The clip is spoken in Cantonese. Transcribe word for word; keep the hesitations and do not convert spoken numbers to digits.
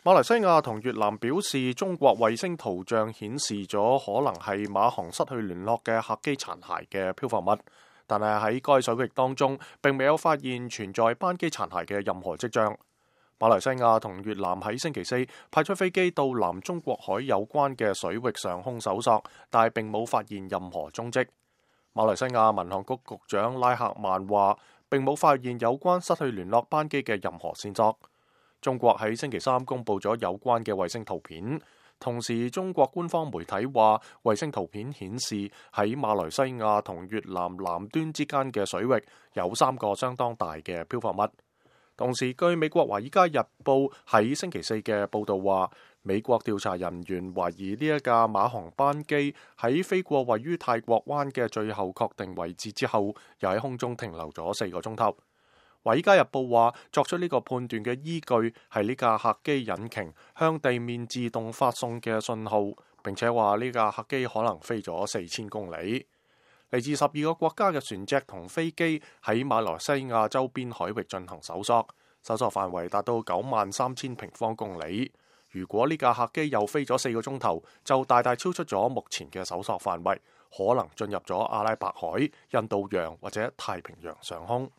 馬來西亞同越南表示，中國衛星圖像顯示咗可能係馬航失去聯絡嘅客機殘骸嘅漂浮物，但係喺該水域當中並未有發現存在班機殘骸嘅任何跡象。馬來西亞同越南喺星期四派出飛機到南中國海有關嘅水域上空搜索，但係並冇發現任何蹤跡。馬來西亞民航局局長拉克曼話，並冇發現有關失去聯絡班機嘅任何線索。中國喺星期三公布咗有關嘅衛星圖片，同時中國官方媒體話，衛星圖片顯示喺馬來西亞同越南南端之間嘅水域有三個相當大嘅漂浮物。同時，據美國華爾街日報喺星期四嘅報導話，美國調查人員懷疑呢一架馬航班機喺飛過位於泰國灣嘅最後確定位置之後，又喺空中停留咗四個鐘頭。華爾街日報話，作出呢個判斷嘅依據係呢架客機引擎向地面自動發送嘅信號，並且話呢架客機可能飛咗四千公里。嚟自十二個國家嘅船隻同飛機喺馬來西亞周邊海域進行搜索，搜索範圍達到九萬三千平方公里。如果呢架客機又飛咗四個鐘頭，就大大超出咗目前嘅搜索範圍，可能進入咗阿拉伯海、印度洋或者太平洋上空。